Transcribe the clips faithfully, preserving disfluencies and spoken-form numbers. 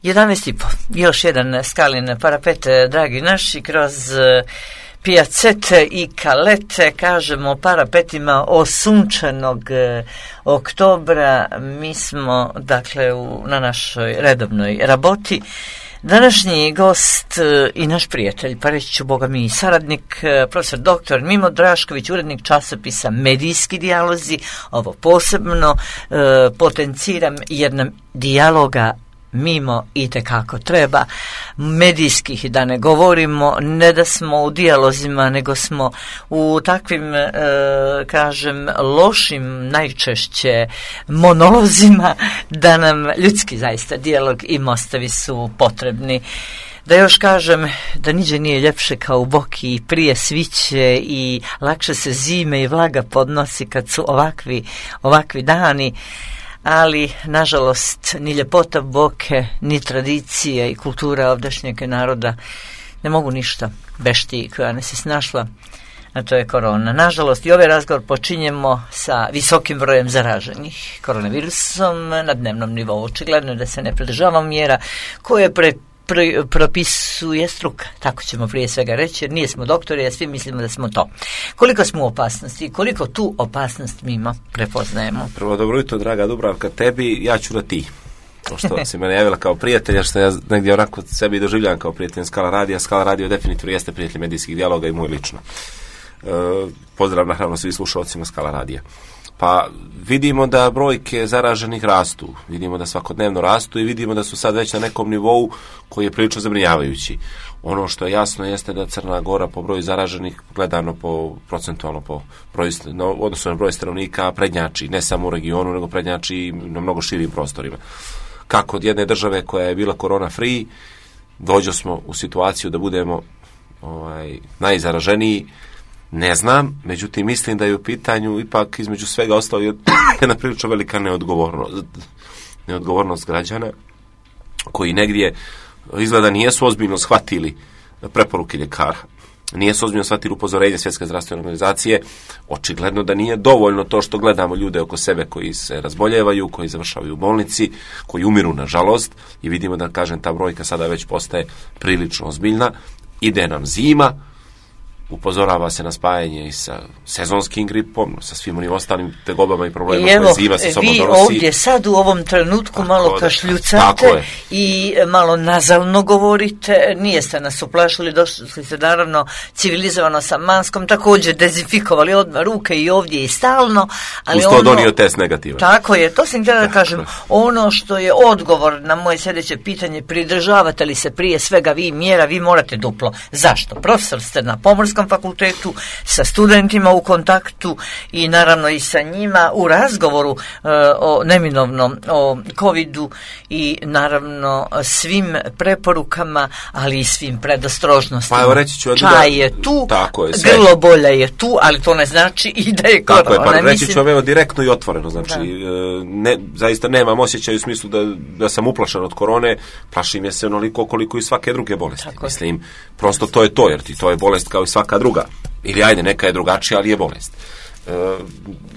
jedanaest i po. Još jedan Skalin parapet, dragi naši, kroz pijacete i kalete, kažemo parapetima osunčanog oktobra. Mi smo, dakle, u, na našoj redovnoj raboti. Današnji gost i naš prijatelj, pa reći ću Boga mi saradnik, profesor doktor Mimo Drašković, urednik časopisa Medijski dijalozi. Ovo posebno e, potenciram jer nam dijaloga mimo itekako treba, medijskih da ne govorimo, ne da smo u dijalozima, nego smo u takvim, e, kažem, lošim najčešće monolozima, da nam ljudski zaista dijalog i mostovi su potrebni. Da još kažem da niđe nije ljepše kao u boki i prije sviće i lakše se zime i vlaga podnosi kad su ovakvi, ovakvi dani. Ali, nažalost, ni ljepota boke, ni tradicija i kultura ovdašnjeg naroda ne mogu ništa bešti koja ne se snašla, a to je korona. Nažalost, i ovaj razgovor počinjemo sa visokim brojem zaraženih koronavirusom na dnevnom nivou. Očigledno je da se ne pridržavamo mjera koje pre Pro, propisuje struka, tako ćemo prije svega reći, jer nije smo doktori, a svi mislimo da smo to. Koliko smo u opasnosti i koliko tu opasnost mimo prepoznajemo? Prvo, dobro jutro, draga Dubravka, tebi, ja ću da ti. Pošto si mene javila kao prijatelja, što ja negdje onako sebi doživljam kao prijatelj Skala radija. Skala radio definitivno jeste prijatelj medijskih dijaloga i moj lično. E, pozdrav naravno svi slušalcima Skala radija. Pa vidimo da brojke zaraženih rastu, vidimo da svakodnevno rastu i vidimo da su sad već na nekom nivou koji je prilično zabrinjavajući. Ono što je jasno jeste da Crna Gora po broju zaraženih, gledano po procentualno po broju, no, odnosno na broj stanovnika, prednjači ne samo u regionu, nego prednjači i na mnogo širim prostorima. Kako od jedne države koja je bila korona free, dođo smo u situaciju da budemo ovaj, najzaraženiji, ne znam, međutim mislim da je u pitanju ipak između svega ostalo jedna prilično velika neodgovornost, neodgovornost građana koji negdje izgleda nijesu ozbiljno shvatili preporuke ljekara, nijesu ozbiljno shvatili upozorenje Svjetske zdravstvene organizacije. Očigledno da nije dovoljno to što gledamo ljude oko sebe koji se razboljevaju, koji završavaju u bolnici, koji umiru nažalost i vidimo da, kažem, ta brojka sada već postaje prilično ozbiljna. Ide nam zima, upozorava se na spajanje i sa sezonskim gripom, sa svim onim ostalim tegobama i problemima koje zima sa sobom donosi. Vi ovdje sad u ovom trenutku tako malo kašljucate i malo nazalno govorite, nijeste nas uplašili, došli ste naravno civilizovano sa maskom, također dezinfikovali odmah ruke i ovdje i stalno. Ali uz to ono, donio test negativan. Tako je, to sam htjela da kažem. Ono što je odgovor na moje sljedeće pitanje, pridržavate li se prije svega vi mjera, vi morate duplo. Zašto? Profesor ste na Pomorskom fakultetu, sa studentima u kontaktu i naravno i sa njima u razgovoru uh, o neminovnom o covidu i naravno svim preporukama, ali i svim predostrožnostima. Pa evo reći ću Čaj da, je tu, tako je, grlobolja je tu, ali to ne znači i da je korona. Tako je, pa reći mislim... ću evo direktno i otvoreno, znači ne, zaista nemam osjećaj u smislu da, da sam uplašen od korone, plašim je se onoliko koliko i svake druge bolesti. Tako mislim, prosto to je to, jer ti to je bolest kao i svaka druga. Ili ajde, neka je drugačija, ali je bolest. E,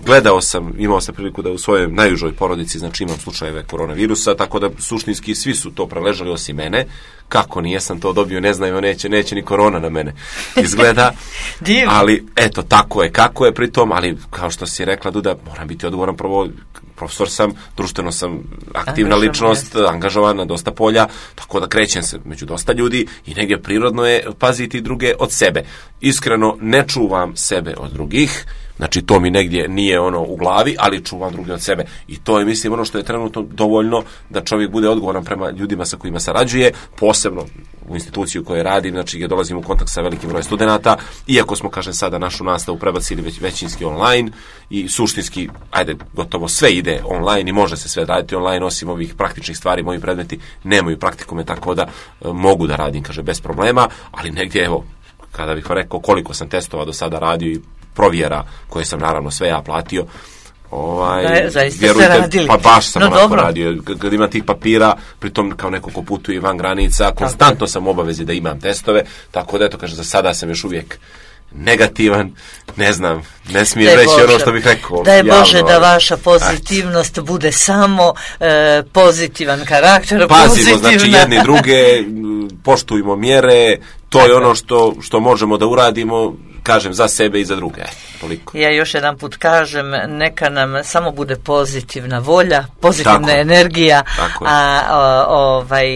gledao sam, imao sam priliku da u svojoj najužoj porodici, znači imam slučajeve koronavirusa, tako da suštinski svi su to preležali osim mene. Kako nijesam to dobio, ne znam, neće, neće ni korona na mene izgleda. Ali, eto, tako je, kako je pritom, ali kao što si rekla, Duda, moram biti odgovoran, prvo, profesor sam, društveno sam aktivna Angažovan ličnost, jest. angažovan na dosta polja, tako da krećem se među dosta ljudi i negdje prirodno je paziti druge od sebe. Iskreno, ne čuvam sebe od drugih, znači to mi negdje nije ono u glavi, ali čuvam druge od sebe. I to je, mislim, ono što je trenutno dovoljno da čovjek bude odgovoran prema ljudima sa kojima sarađuje, posebno u instituciju koje radim, znači gdje dolazim u kontakt sa velikim brojem studenata, iako smo, kažem, sada našu nastavu prebacili već većinski online i suštinski, ajde, gotovo sve ide online i može se sve raditi online, osim ovih praktičnih stvari, moji predmeti nemaju praktikume, tako da e, mogu da radim, kaže, bez problema, ali negdje, evo, kada bih rekao koliko sam testova do sada radio i provjera koje sam naravno sve ja platio, ovaj, da, vjerujte, pa baš sam no, onako dobro. radio, kad ima tih papira, pritom kao neko ko putuje van granica, konstantno sam u obavezi da imam testove, tako da eto, kaže, za sada sam još uvijek negativan, ne znam, ne smijem reći Bože, ono što bih rekao. Daj Bože javno, da vaša pozitivnost ajde. bude samo e, pozitivan karakter. Pazimo, pozitivna. znači jedni druge, poštujmo mjere, to Tako. je ono što, što možemo da uradimo, kažem, za sebe i za druge. Toliko. Ja još jedan put kažem, neka nam samo bude pozitivna volja, pozitivna Tako. energija, Tako a o, ovaj,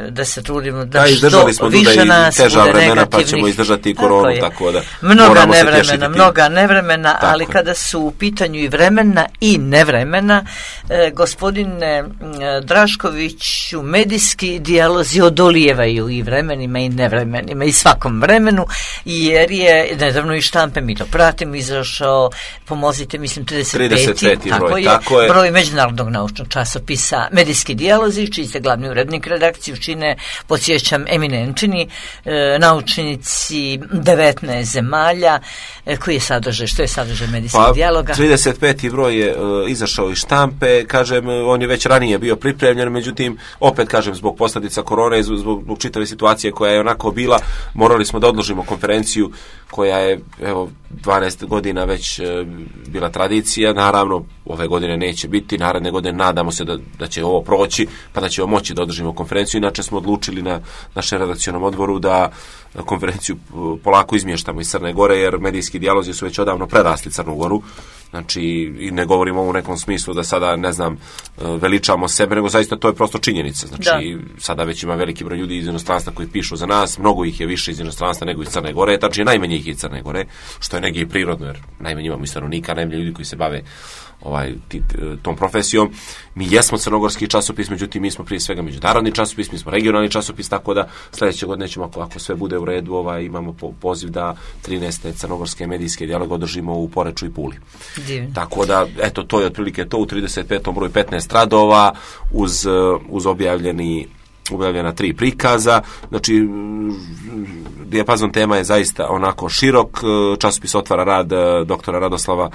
da se trudimo da, da što smo više nas teža bude vremena, negativnih. Pa ćemo izdržati i koronu, tako, tako da mnoga nevremena, mnoga nevremena, tako ali je. Kada su u pitanju i vremena i nevremena, eh, gospodine eh, Draškoviću, medijski dijalozi odolijevaju i vremenima i nevremenima i svakom vremenu, jer je nedavno i Štampe, mi to pratimo, izašao, pomozite, mislim, trideset peti, trideset peti tako, broj, je, tako je, broj međunarodnog naučnog časopisa Medijski dijalozi, čiji ste glavni urednik, redakciju čine, podsjećam, eminentni e, naučnici devetnaest zemalja, e, koji je sadržaj, što je sadržaj medijskog pa, dijaloga? trideset peti broj je e, izašao iz Štampe, kažem, on je već ranije bio pripremljen, međutim, opet kažem, zbog posljedica korone, zbog, zbog čitave situacije koja je onako bila, morali smo da odložimo konferenciju koja je, evo, dvanaest godina već e, bila tradicija, naravno ove godine neće biti, naredne godine nadamo se da, da će ovo proći, pa da ćemo moći da održimo konferenciju, inače smo odlučili na našem redakcionom odboru da konferenciju polako izmještamo iz Crne Gore, jer medijski dijalozi su već odavno prerasli Crnu Goru, znači i ne govorimo u nekom smislu da sada, ne znam, veličamo sebe, nego zaista to je prosto činjenica, znači da. Sada već ima veliki broj ljudi iz inostranstva koji pišu za nas, mnogo ih je više iz inostranstva nego iz Crne Gore, znači najmanje ih je iz Crne Gore, što je negdje i prirodno, jer najmanje imamo i stanovnika, najmanje ljudi koji se bave ovaj, tit, tom profesijom. Mi jesmo crnogorski časopis, međutim mi smo prije svega međunarodni časopis, mi smo regionalni časopis, tako da sljedeće godine ćemo, ako, ako sve bude u redu, ovaj, imamo po, poziv da trinaeste crnogorske medijske dijaloge održimo u Poreču i Puli. Divno. Tako da, eto, to je otprilike to, u trideset petom broju petnaest radova, uz, uz objavljeni objavljena tri prikaza, znači dijapazon tema je zaista onako širok, časopis otvara rad doktora Radoslava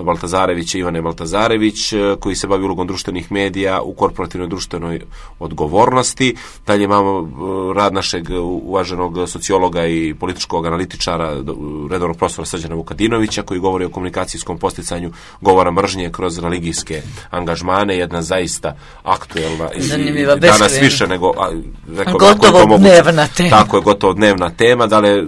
Baltazarevića, Ivane Baltazarević, koji se bavi ulogom društvenih medija u korporativnoj društvenoj odgovornosti. Dalje imamo rad našeg uvaženog sociologa i političkog analitičara, redovnog profesora Srđana Vukadinovića, koji govori o komunikacijskom posticanju govora mržnje kroz religijske angažmane, jedna zaista aktuelna i zanimljiva, danas više nego a, rekao, gotovo dnevna tema. Tako je, gotovo dnevna tema. Dalje,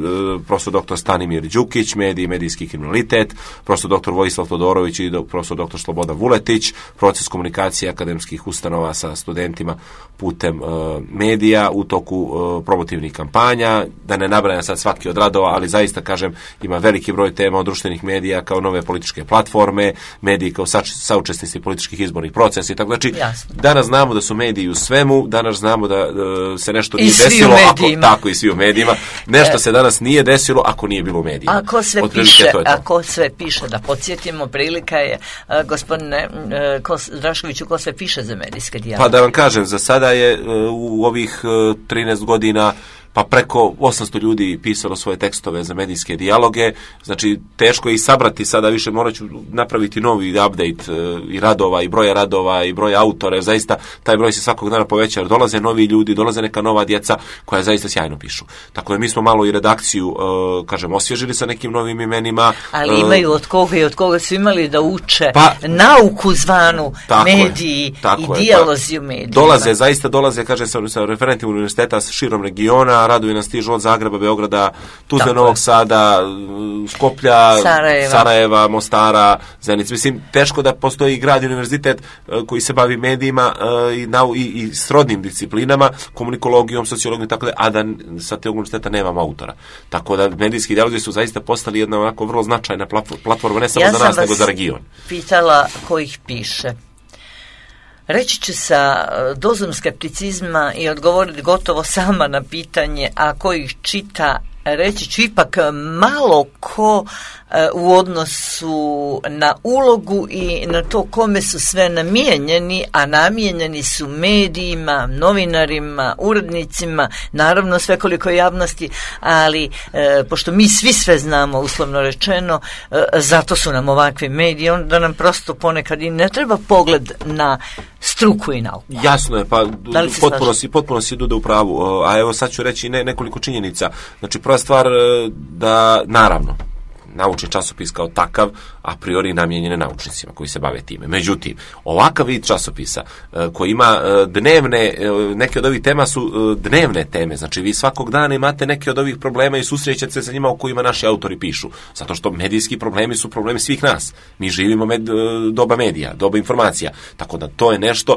profesor doktor Stanimir Đukić, mediji i medijski kriminalitet, profesor doktor Vojislav Todorović i profesor doktor Slobodan Vuletić, proces komunikacije akademskih ustanova sa studentima putem uh, medija u toku uh, promotivnih kampanja, da ne nabrajam sad svaki od radova, ali zaista kažem, ima veliki broj tema od društvenih medija kao nove političke platforme, mediji kao saučesnici političkih izbornih procesa i tako. Znači, Jasno. danas znamo da su mediji u svemu, danas znamo da uh, se nešto nije desilo, ako, tako i svi u medijima, nešto e, se danas nije desilo ako nije bilo u medijima. Ako sve piše, ako sve piše, da podsjetimo, prilika je, uh, gospodine uh, Kos, Draškoviću, ko sve piše za medijske dijaloge? Pa da vam kažem, za sada je uh, u ovih uh, trinaest godina pa preko osamsto ljudi pisalo svoje tekstove za medijske dijaloge, znači teško je i sabrati sada, više morat ću napraviti novi update e, i radova, i broja radova, i broja autora, zaista taj broj se svakog dana poveća, jer dolaze novi ljudi, dolaze neka nova djeca koja zaista sjajno pišu. Tako da mi smo malo i redakciju, e, kažem, osvježili sa nekim novim imenima. Ali imaju od koga i od koga su imali da uče pa, nauku zvanu mediji je, i dijalozi u medijima. Dolaze, zaista dolaze, kaže, sa, sa referentima univerziteta s širom regiona, radovi nas stižu od Zagreba, Beograda, Tuzle, Novog Sada, Skoplja, Sarajeva, Sarajeva Mostara, Zenice. Mislim, teško da postoji grad i univerzitet uh, koji se bavi medijima uh, i, nau, i, i srodnim disciplinama, komunikologijom, sociologijom, tako da, a da sa te univerziteta nemamo autora. Tako da medijski dijalozi su zaista postali jedna onako vrlo značajna platforma, ne samo ja za nas, nego za region. Pitala ko ih piše. Reći ću sa dozom skepticizma i odgovoriti gotovo sama na pitanje, a ko ih čita, reći ću ipak malo ko u odnosu na ulogu i na to kome su sve namijenjeni, a namijenjeni su medijima, novinarima, urednicima, naravno svekoliko javnosti, ali e, pošto mi svi sve znamo, uslovno rečeno, e, zato su nam ovakvi mediji, onda nam prosto ponekad i ne treba pogled na struku i nauku. Jasno je, pa potpuno si, potpuno si Duda u pravu, a evo sad ću reći ne, nekoliko činjenica. Znači, prva stvar da, naravno, naučni časopis kao takav a priori namijenjen naučnicima koji se bave time. Međutim, ovakav vid časopisa koji ima dnevne, neke od ovih tema su dnevne teme, znači vi svakog dana imate neke od ovih problema i susrećete se sa njima o kojima naši autori pišu, zato što medijski problemi su problemi svih nas. Mi živimo med, doba medija, doba informacija, tako da to je nešto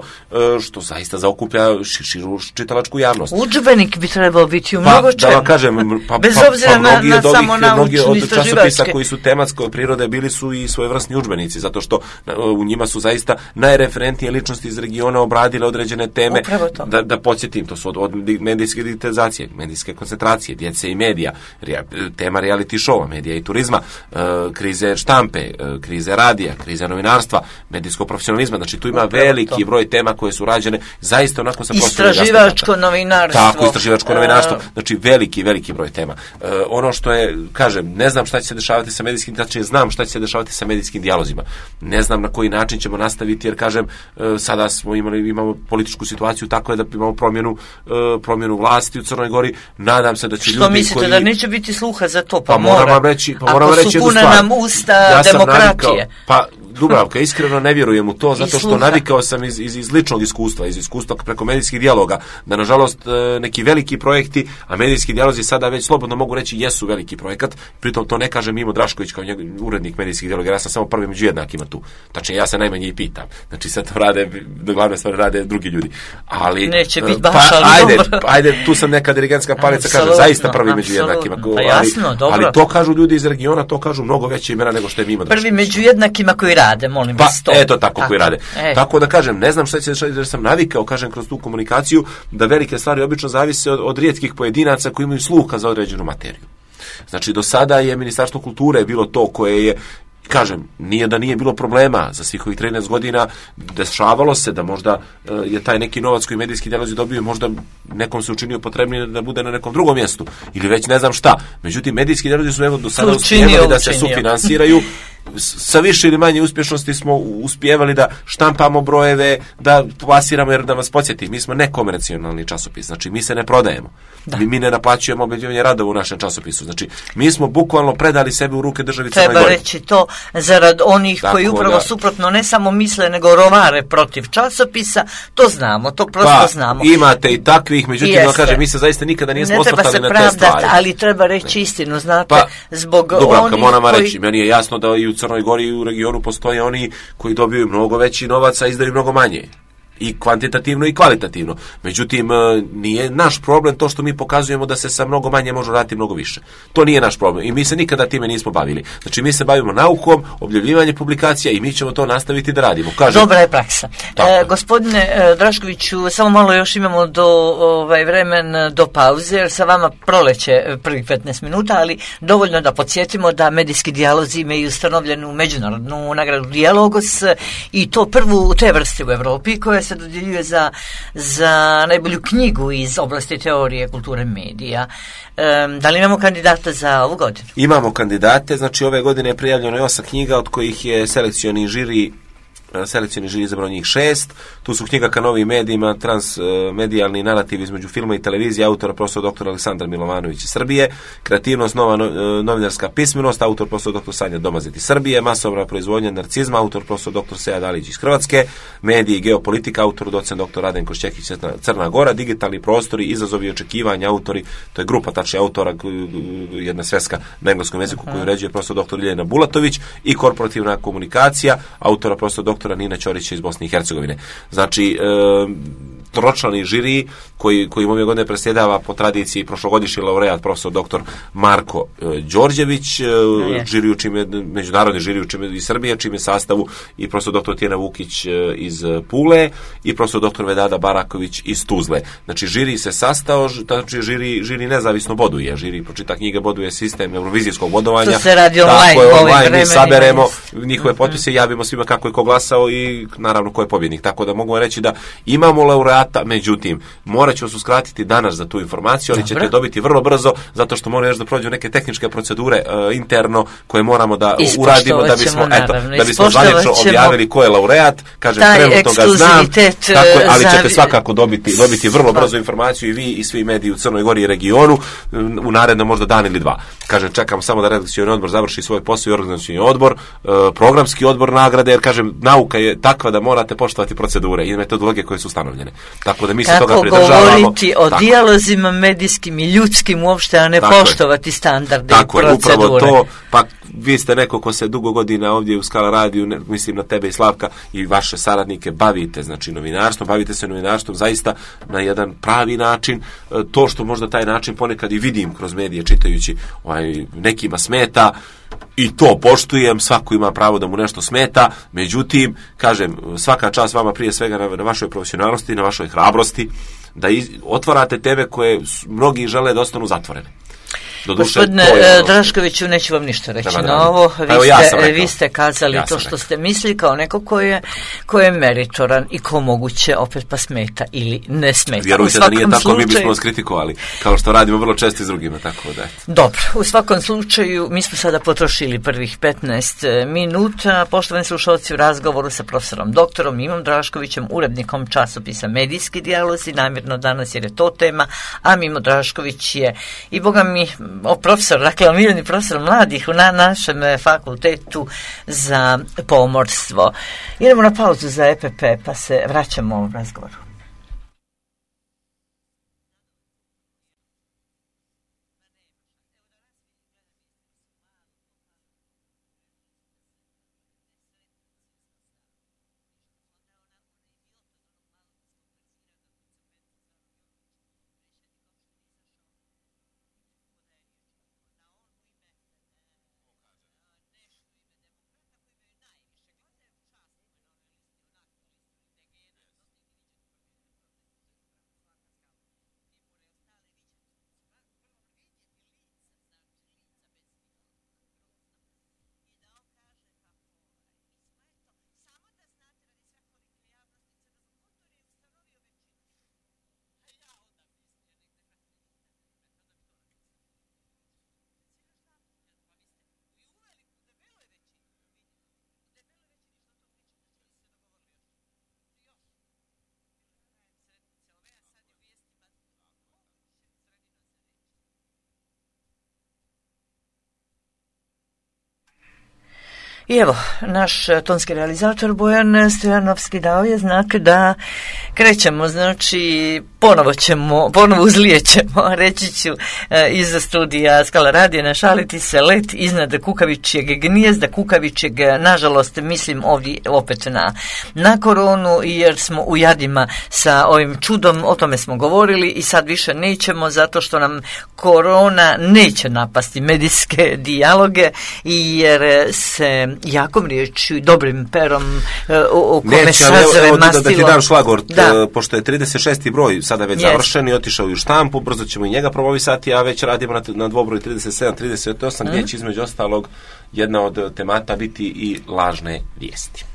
što zaista zaokuplja širu čitalačku javnost. Udžbenik bi trebao biti u mnogo čemu. Pa, da vam kažem, pa, bez pa, obzira pa, na, na samo naučni od časopisa koji su tematske prirode bili su i svojevrsni udžbenici, zato što u njima su zaista najreferentnije ličnosti iz regiona obradile određene teme. Da, da podsjetim, to su od, od medijske digitalizacije, medijske koncentracije, djece i medija, rea, tema reality showa, medija i turizma, e, krize štampe, e, krize radija, krize novinarstva, medijskog profesionalizma, znači tu ima upravo veliki to. broj tema koje su rađene zaista onako sa prostornog istraživačko novinarstvo. Tako, istraživačko novinarstvo, znači veliki, veliki broj tema. E, ono što je, kažem, ne znam šta će se dešavati sa medijskim, znači znam šta će se dešavati sa medijskim dijalozima. Ne znam na koji način ćemo nastaviti, jer kažem, e, sada smo imali, imamo političku situaciju tako je da imamo promjenu, e, promjenu vlasti u Crnoj Gori. Nadam se da će što ljudi mislite koji... da neće biti sluha za to, pa, pa mora. Moram reći, pa moram ako reći su puna nam usta ja demokratije. Navikao, pa Dubravka, iskreno ne vjerujem u to, zato što navikao sam iz, iz, iz ličnog iskustva, iz iskustva preko medijskih dijaloga, da nažalost neki veliki projekti, a medijski dijalozi sada već slobodno mogu reći jesu veliki projekat, pritom to ne kaže Mimo Drašković kao njegov urednik medijskih dijaloga, ja sam samo prvi među jednakima tu. Znači ja se najmanje i pitam. Znači sad to rade, do glavne stvari rade drugi ljudi. Ali neće biti baš, pa, ali ajde, dobro. ajde, tu sam neka dirigentska palica, kaže zaista prvi među jednakima. Pa jasno, ali, dobro. ali to kažu ljudi iz regiona, to kažu mnogo veće imena nego što je Mimo Drašković. Prvi među jednakima koji rade, molim vas. Pa, eto tako, tako koji rade. E. Tako da kažem, ne znam šta će se dešavati, jer sam navikao, kažem, kroz tu komunikaciju, da velike stvari obično zavise od, od rijetkih pojedinaca koji imaju sluha za određenu materiju. Znači, do sada je Ministarstvo kulture bilo to koje je, kažem, nije da nije bilo problema za svih ovih trinaest godina, dešavalo se da možda e, je taj neki novac koji medijski dijalozi dobio, možda nekom se učinio potrebnije da bude na nekom drugom mjestu, ili već ne znam šta. Međutim, medijski dijalozi su evo do sada uspjevali da se sufinansiraju, sa više ili manje uspješnosti smo uspjevali da štampamo brojeve, da plasiramo, jer da vas podsjetim, mi smo nekomercionalni časopis, znači mi se ne prodajemo. Mi, mi ne naplaćujemo objavljivanje radova u našem časopisu. Znači, mi smo bukvalno predali sebe u ruke državi Crnoj Gori. Treba reći to zarad onih tako koji upravo da, suprotno ne samo misle, nego rovare protiv časopisa, to znamo, to prosto pa, znamo. Imate i takvih, međutim, da kažem, mi se zaista nikada nismo ne osvrtali na te stvari. Ali treba reći istinu, znate, pa, zbog Dubravka, onih moram koji... reći, meni je jasno da i u Crnoj Gori i u regionu postoje oni koji dobiju mnogo veći novac, a izdaju mnogo manje. I kvantitativno i kvalitativno. Međutim, nije naš problem to što mi pokazujemo da se sa mnogo manje može raditi mnogo više. To nije naš problem i mi se nikada time nismo bavili. Znači, mi se bavimo naukom, objavljivanje publikacija i mi ćemo to nastaviti da radimo. Kažem, dobra je praksa. E, gospodine e, Draškoviću, samo malo još imamo do ovaj, vremen do pauze, jer sa vama proleće prvih petnaest minuta, ali dovoljno da podsjetimo da medijski dijalozi imaju ustanovljenu međunarodnu nagradu Dijalogos i to prvu te vrste u Evropi koja se dodjeljuje za, za najbolju knjigu iz oblasti teorije kulture medija. E, da li imamo kandidata za ovu godinu? Imamo kandidate, znači ove godine je prijavljeno osam knjiga, od kojih je selekcioni žiri selekcioni žiri izabrao njih šest. Tu su knjiga ka novim medijima, transmedijalni narativ između filma i televizije, autora profesor doktor Aleksandar Milovanović iz Srbije, kreativnost, nova novinarska pismenost, autor profesor doktor Sanja Domazet iz Srbije, masovna proizvodnja narcizma, autor profesor doktor Sead Alić iz Hrvatske, mediji i geopolitika, autor docent doktor Radenko Šćekić Crna Gora, digitalni prostori, izazovi i očekivanja, autori, to je grupa tačnije autora, jedna sveska na engleskom jeziku koju uređuje profesor doktor Ljiljana Bulatović, i korporativna komunikacija, autora profesor doktora Nina Ćorića iz Bosne i Hercegovine. Znači, e, tročlani žiri koji, koji ove godine presjedava po tradiciji prošlogodišnji laureat profesor doktor Marko e, Đorđević, e, žiri u čime, međunarodni žiri u čime iz Srbije, čime sastavu i profesor doktor Tijena Vukić e, iz Pule i profesor doktor Vedada Baraković iz Tuzle. Znači, žiri se sastao, znači žiri, žiri nezavisno boduje, žiri pročita knjige boduje sistem eurovizijskog bodovanja. To se radi online, tako je, online mi saberemo njihove potpise, javimo svima kako je ko glasao i naravno ko je pobjednik. Tako da mogu reći da imamo laureata laureata, međutim, morat ću vas uskratiti danas za tu informaciju, ali ćete dobiti vrlo brzo, zato što moramo još da prođu neke tehničke procedure uh, interno koje moramo da uradimo da bismo, eto, da bismo zvanično objavili ko je laureat, kažem, trenutno ga znam, tako, ali ćete svakako dobiti, dobiti vrlo brzo informaciju i vi i svi mediji u Crnoj Gori i regionu u narednom možda dan ili dva. Kažem, čekamo samo da redakcioni odbor završi svoj posao i organizacioni odbor, uh, programski odbor nagrade, jer kažem, nauka je takva da morate poštovati procedure i metodologije koje su ustanovljene. Tako da mi se kako toga pridržavamo. Kako govoriti o tako. dijalozima medijskim i ljudskim uopšte, a ne tako poštovati je. standarde tako i procedure. Tako je, upravo to, pa vi ste neko ko se dugo godina ovdje u Skala radiju, ne, mislim na tebe i Slavka i vaše saradnike, bavite znači novinarstvom, bavite se novinarstvom zaista na jedan pravi način. To što možda taj način ponekad i vidim kroz medije čitajući, ovaj, nekima smeta, i to poštujem, svako ima pravo da mu nešto smeta, međutim, kažem, svaka čast vama prije svega na, na vašoj profesionalnosti, na vašoj hrabrosti, da iz, otvarate teme koje mnogi žele da ostanu zatvorene. Doduše, Gospodine ono... Draškoviću, neću vam ništa reći na no, ovo. Vi, evo, ja ste, vi ste kazali ja to što rekao. ste mislili kao neko ko je, ko je meritoran i ko moguće opet pa smeta ili ne smeta. Vjerujte da nije tako, slučaju... mi bismo vas kritikovali, kao što radimo vrlo često i s drugima. Tako da. Dobro, u svakom slučaju mi smo sada potrošili prvih petnaest minuta. Poštovani slušalci, u razgovoru sa profesorom doktorom Mimom Draškovićem, urednikom časopisa Medijski dijalozi, namjerno danas jer je to tema, a Mimo Drašković je i boga mi o profesor, dakle omiljeni profesor mladih na našem fakultetu za pomorstvo. Idemo na pauzu za E P P pa se vraćamo u razgovoru. I evo, naš tonski realizator Bojan Stojanovski dao je znak da krećemo, znači ponovo ćemo, ponovo uzlijećemo, reći ću iz studija Skala radija našaliti se let iznad kukavičjeg gnijezda, kukavičjeg, nažalost mislim ovdje opet na, na koronu, jer smo u jadima sa ovim čudom, o tome smo govorili i sad više nećemo zato što nam korona neće napasti medijske dijaloge i jer se jakom riječju i dobrim perom u kome sazre mastilo. Da ti dam šlagort, da. Pošto je trideset šesti broj sada već yes. završen i otišao i u štampu, brzo ćemo i njega promovisati, a već radimo na, na dvobroj trideset sedam trideset osam, mm. gdje će između ostalog jedna od temata biti i lažne vijesti.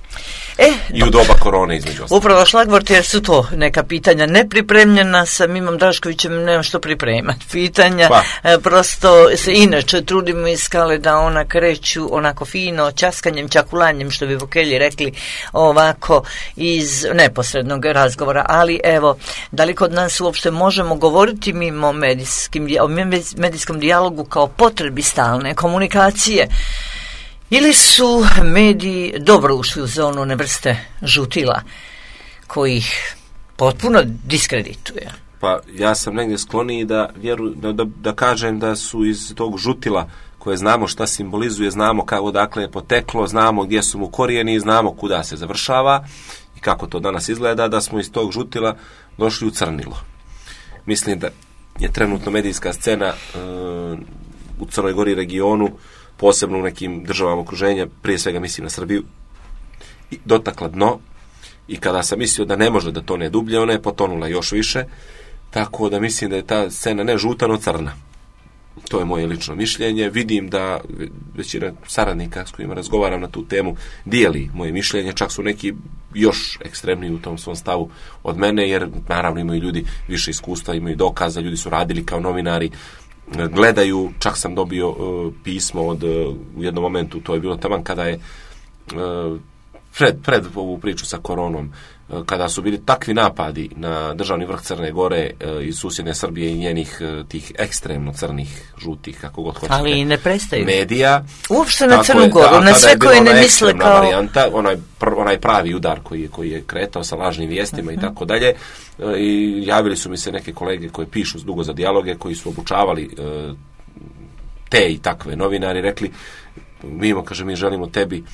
E, I u doba korone između ostalog. Upravo šlagvort, jer su to neka pitanja nepripremljena, sa Mimom Draškovićem nemam što pripremati. Pitanja, pa. e, prosto se inače trudimo iz Skale da ona kreću onako fino, časkanjem, čakulanjem, što bi vokelji rekli, ovako iz neposrednog razgovora. Ali evo, da li kod nas uopšte možemo govoriti mimo medijskim, o medijskom dijalogu kao potrebi stalne komunikacije? Ili su mediji dobro ušli u zonu one vrste žutila koji ih potpuno diskredituje? Pa ja sam negdje skloniji da, vjeru, da, da, da kažem da su iz tog žutila koje znamo šta simbolizuje, znamo kako dakle je poteklo, znamo gdje su mu korijeni, znamo kuda se završava i kako to danas izgleda, da smo iz tog žutila došli u crnilo. Mislim da je trenutno medijska scena e, u Crnoj Gori regionu, posebno u nekim državama okruženja, prije svega mislim na Srbiju, i dotakla dno i kada sam mislio da ne može da tone dublje, ona je potonula još više, tako da mislim da je ta scena ne žuta, no crna. To je moje lično mišljenje. Vidim da većina saradnika s kojima razgovaram na tu temu dijeli moje mišljenje, čak su neki još ekstremniji u tom svom stavu od mene, jer naravno imaju ljudi više iskustva, imaju dokaza, ljudi su radili kao novinari, gledaju, čak sam dobio uh, pismo od, uh, u jednom momentu, to je bilo taman kada je uh, pred, pred ovu priču sa koronom, uh, kada su bili takvi napadi na državni vrh Crne Gore uh, iz susjedne Srbije i njenih uh, tih ekstremno crnih, žutih, kako god hoćete, ali ne prestaju medija. Uopšte na Crnu Goru, da, na sve koje ne misle kao... varijanta, onaj, pr, onaj pravi udar koji je, koji je kretao sa lažnim vijestima uh-huh. i tako dalje. I javili su mi se neke kolege koji pišu dugo za dijaloge, koji su obučavali uh, te i takve novinari, rekli, mi, kaže, mi želimo tebi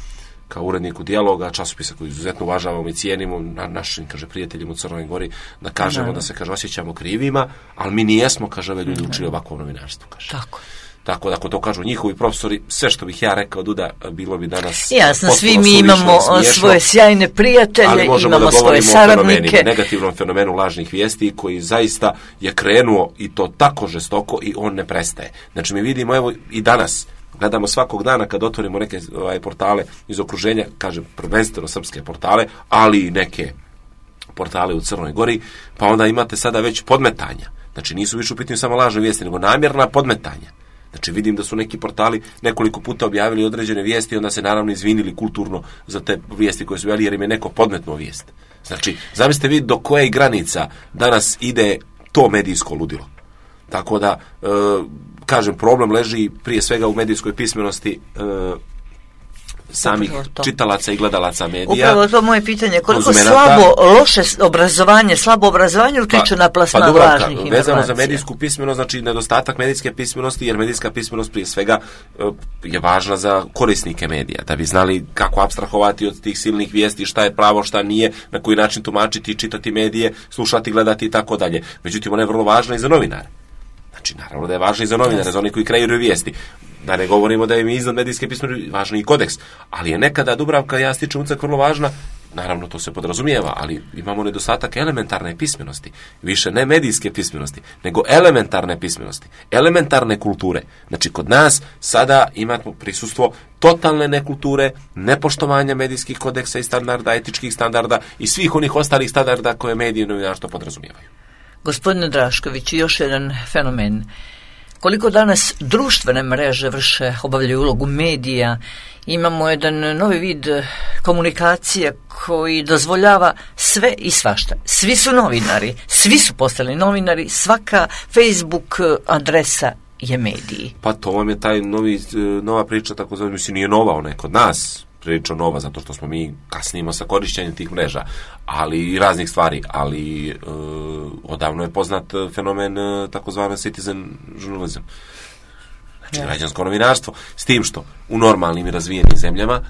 kao uredniku dijaloga, časopisa koji izuzetno uvažavamo i cijenimo, na našim, kaže, prijateljima u Crnoj Gori, da kažemo da, da se, kaže, osjećamo krivima, ali mi nijesmo, kaže, ove ljudi učili ovakvo novinarstvo, kaže. Tako. Tako da, ako to kažu njihovi profesori, sve što bih ja rekao, Duda, bilo bi danas jasno, svi mi imamo svoje sjajne prijatelje, imamo da svoje saradnike. Negativnom fenomenu lažnih vijesti koji zaista je krenuo i to tako žestoko i on ne prestaje. Znači, mi vidimo, evo, i danas, gledamo svakog dana kad otvorimo neke ovaj, portale iz okruženja, kažem, prvenstveno srpske portale, ali i neke portale u Crnoj Gori, pa onda imate sada već podmetanja. Znači, nisu više u pitanju samo lažne vijesti, nego namjerna podmetanja. Znači, vidim da su neki portali nekoliko puta objavili određene vijesti i onda se naravno izvinili kulturno za te vijesti koje su objavili, jer im je neko podmetnuo vijest. Znači, zamislite vi do koje granica danas ide to medijsko ludilo. Tako da, e, kažem, problem leži prije svega u medijskoj pismenosti e, samih čitalaca i gledalaca medija. Upravo to moje pitanje, koliko slabo, loše obrazovanje, slabo obrazovanje utiče pa, na plasman pa, lažnih informacija. Vezano za medijsku pismenost, znači nedostatak medijske pismenosti, jer medijska pismenost prije svega je važna za korisnike medija, da bi znali kako apstrahovati od tih silnih vijesti, šta je pravo, šta nije, na koji način tumačiti, čitati medije, slušati, gledati i tako dalje. Međutim, ona je vrlo važna i za novinare. Znači, naravno da je važno i za novinare, za oni koji kreiraju vijesti. Da ne govorimo da je mi iznad medijske pismenosti važno i kodeks. Ali je nekada, Dubravka, ja stičem ucak, vrlo važna. Naravno, to se podrazumijeva, ali imamo nedostatak elementarne pismenosti. Više ne medijske pismenosti, nego elementarne pismenosti. Elementarne kulture. Znači, kod nas sada imamo prisustvo totalne nekulture, nepoštovanja medijskih kodeksa i standarda, etičkih standarda i svih onih ostalih standarda koje medije i novinarstvo podrazumijevaju. Gospodine Drašković, još jedan fenomen. Koliko danas društvene mreže vrše, obavljaju ulogu medija, imamo jedan novi vid komunikacije koji dozvoljava sve i svašta. Svi su novinari, svi su postali novinari, svaka Facebook adresa je mediji. Pa to vam je taj novi, nova priča, tako zove, mislim, nije nova, ona je kod nas prilično nova, zato što smo mi kasnimo sa korišćenjem tih mreža, ali i raznih stvari, ali e, odavno je poznat fenomen e, takozvani citizen journalism. Znači, ja. građansko novinarstvo, s tim što u normalnim i razvijenim zemljama,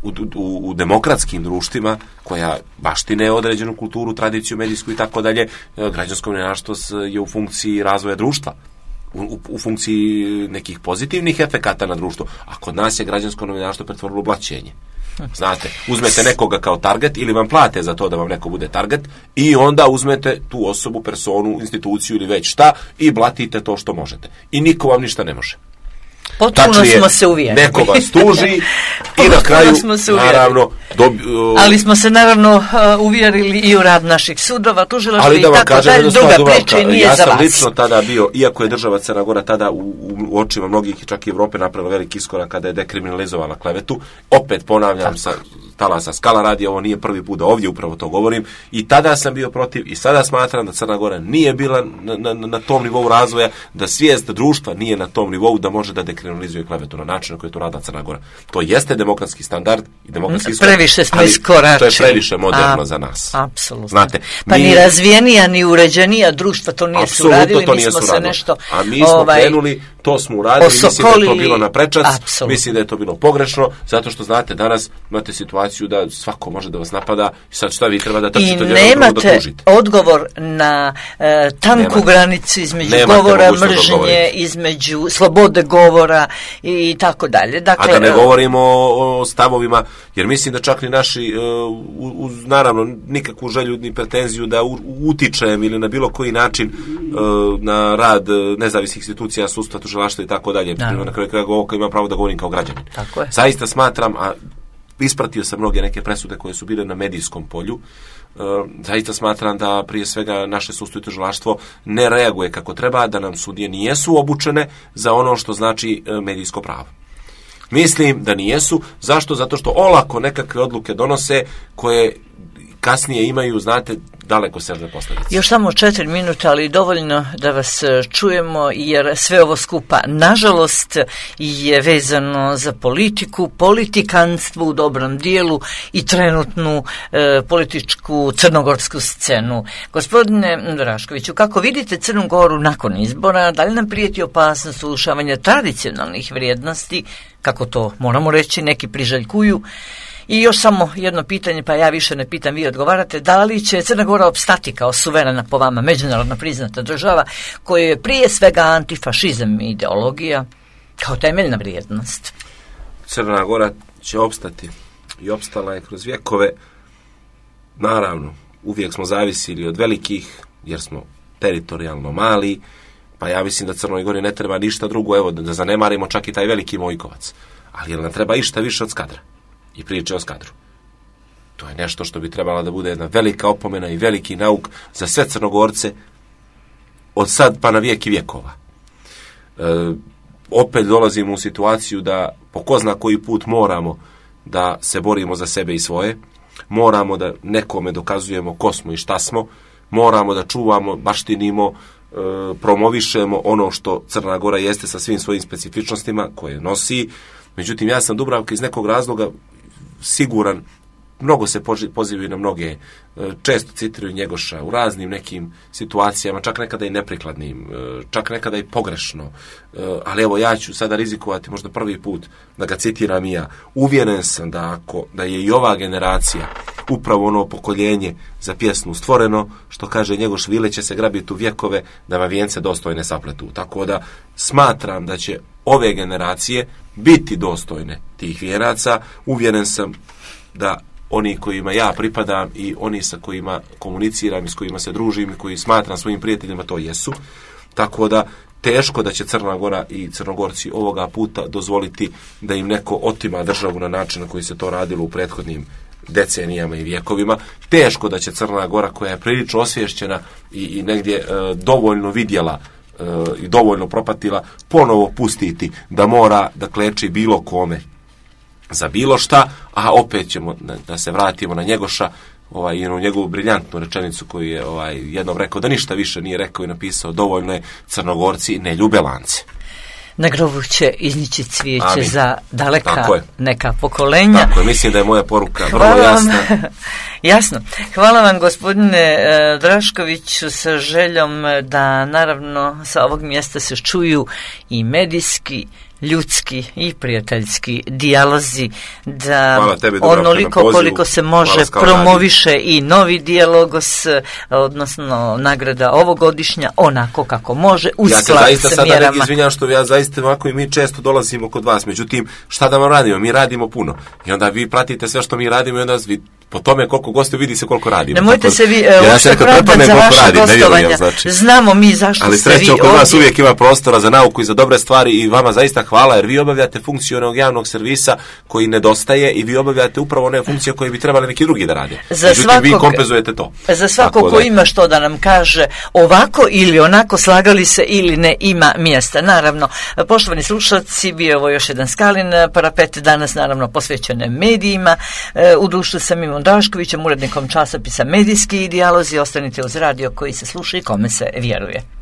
u, u, u demokratskim društvima, koja baštine određenu kulturu, tradiciju, medijsku i tako dalje, građansko novinarstvo je u funkciji razvoja društva. U, u funkciji nekih pozitivnih efekata na društvo, a kod nas je građansko novinarstvo pretvorilo u blaćenje. Znate, uzmete nekoga kao target ili vam plate za to da vam neko bude target i onda uzmete tu osobu, personu, instituciju ili već šta i blatite to što možete. I niko vam ništa ne može. Potpuno Tačnije, smo se uvjerili. Neko vas tuži i na kraju, naravno... Dobi, uh, ali smo se naravno uh, uvjerili i u rad naših sudova, tužilaštva i tako dalje, druga priča i nije ja za vas. Ja sam lično tada bio, iako je država Crna Gora tada u, u očima mnogih, čak i Evrope, napravila veliki iskorak kada je dekriminalizovala klevetu. Opet ponavljam, sa talasa Skala radi, ovo nije prvi put da ovdje upravo to govorim. I tada sam bio protiv i sada smatram da Crna Gora nije bila na, na, na tom nivou razvoja, da svijest društva nije na tom nivou da može da dekriminalizuje klevetu na način na koji je to radila Crna Gora. To jeste demokratski standard i demokratski iskorak. Previše smo iskoračili. To je previše moderno A, za nas. Apsolutno. Znate, pa mi, ni razvijenija, ni uređenija društva to nije suradili. To nije mi smo suradilo. se nešto... A mi smo ovaj, krenuli, to smo uradili, mislim da je to bilo na prečac, Absolutno. mislim da je to bilo pogrešno, zato što znate, danas imate situaciju da svako može da vas napada i sad šta vi treba da trčite od jednog da tužite. I nemate odgovor na e, tanku nemate. granicu između nemate govora mržnje, između slobode govora i tako dalje. Dakle, a da ne govorimo o, o stavovima, jer mislim da čak ni naši, uh, uz naravno nikakvu želju ni pretenziju da u, utičem ili na bilo koji način uh, na rad nezavisnih institucija, sudstva, tužilaštva tužilaštvo i tako dalje. Na kraju kraja ima pravo da govorim kao građanin. Tako je. Zaista smatram, a ispratio sam mnoge neke presude koje su bile na medijskom polju, e, zaista smatram da prije svega naše sudstvo i tužilaštvo ne reaguje kako treba, da nam sudije nijesu obučene za ono što znači e, medijsko pravo. Mislim da nijesu. Zašto? Zato što olako nekakve odluke donose koje kasnije imaju, znate, daleko sežne posljedice. Još samo četiri minuta, ali dovoljno da vas čujemo, jer sve ovo skupa, nažalost, je vezano za politiku, politikanstvo u dobrom dijelu i trenutnu e, političku crnogorsku scenu. Gospodine Draškoviću, kako vidite Crnu Goru nakon izbora, da li nam prijeti opasnost urušavanja tradicionalnih vrijednosti, kako to moramo reći, neki priželjkuju? I još samo jedno pitanje, pa ja više ne pitam, vi odgovarate, da li će Crna Gora opstati kao suverena, po vama, međunarodno priznata država, koja je prije svega antifašizam i ideologija kao temeljna vrijednost? Crna Gora će opstati i opstala je kroz vjekove. Naravno, uvijek smo zavisili od velikih, jer smo teritorijalno mali, pa ja mislim da Crnoj Gori ne treba ništa drugo, evo, da zanemarimo čak i taj veliki Mojkovac. Ali jel nam treba išta više od Skadra i priče o Skadru? To je nešto što bi trebala da bude jedna velika opomena i veliki nauk za sve Crnogorce od sad pa na vijek i vjekova. E, opet dolazimo u situaciju da po ko zna koji put moramo da se borimo za sebe i svoje, moramo da nekome dokazujemo ko smo i šta smo, moramo da čuvamo, baštinimo, e, promovišemo ono što Crna Gora jeste sa svim svojim specifičnostima koje nosi. Međutim, ja sam Dubravka iz nekog razloga siguran, mnogo se pozivaju na mnoge, često citiraju Njegoša u raznim nekim situacijama, čak nekada i neprikladnim, čak nekada i pogrešno, ali evo ja ću sada rizikovati možda prvi put da ga citiram i ja. Uvjeren sam da ako da je i ova generacija upravo ono pokoljenje za pjesmu stvoreno, što kaže Njegoš, vile će se grabiti u vjekove da vam vijence dostojne sapletu. Tako da smatram da će ove generacije biti dostojne tih vijenaca. Uvjeren sam da oni kojima ja pripadam i oni sa kojima komuniciram i s kojima se družim i koji smatram svojim prijateljima to jesu. Tako da teško da će Crna Gora i Crnogorci ovoga puta dozvoliti da im neko otima državu na način na koji se to radilo u prethodnim decenijama i vjekovima. Teško da će Crna Gora, koja je prilično osvješćena i, i negdje e, dovoljno vidjela e, i dovoljno propatila, ponovo pustiti da mora da kleči bilo kome za bilo šta, a opet ćemo da, da se vratimo na Njegoša, ovaj, jednu njegovu briljantnu rečenicu koju je ovaj, jednom rekao da ništa više nije rekao i napisao, dovoljno je Crnogorci ne ljube lance. Na grobu će iznići cvijeće Amin. Za daleka neka pokolenja. Tako je, mislim da je moja poruka vrlo jasna. Jasno. Hvala vam, gospodine uh, Draškoviću, sa željom da naravno sa ovog mjesta se čuju i medijski, ljudski i prijateljski dijalozi, da tebi, onoliko koliko se može promoviše radi. I novi dijalogos, odnosno nagrada ovogodišnja, onako kako može, u ja skladu sa mjerama. Ja se zaista sada ne izvinjam što ja zaista ovako i mi često dolazimo kod vas, međutim, šta da vam radimo? Mi radimo puno. I onda vi pratite sve što mi radimo i onda vi po tome koliko gostiju vidi se koliko radimo. Nemojte tako, se vi uh, uopšte pravdati za vaše radim, gostovanja. Znači. Znamo mi zašto ali ste vi ovdje. Ali srećom, kod vas uvijek ima prostora za nauku i za dobre stvari i vama zaista hvala, jer vi obavljate funkciju onog javnog servisa koji nedostaje i vi obavljate upravo one funkcije koje bi trebali neki drugi da rade. Za Međutim, svakog, vi kompenzujete to. Za svako ko ima što da nam kaže ovako ili onako, slagali se ili ne, ima mjesta. Naravno, poštovani slušalci, bio je ovo još jedan Skalin parapet, danas naravno posvećene medijima. U društvu sa Mimom Draškovićem, urednikom časopisa Medijski dijalozi. Ostanite uz radio koji se sluša i kome se vjeruje.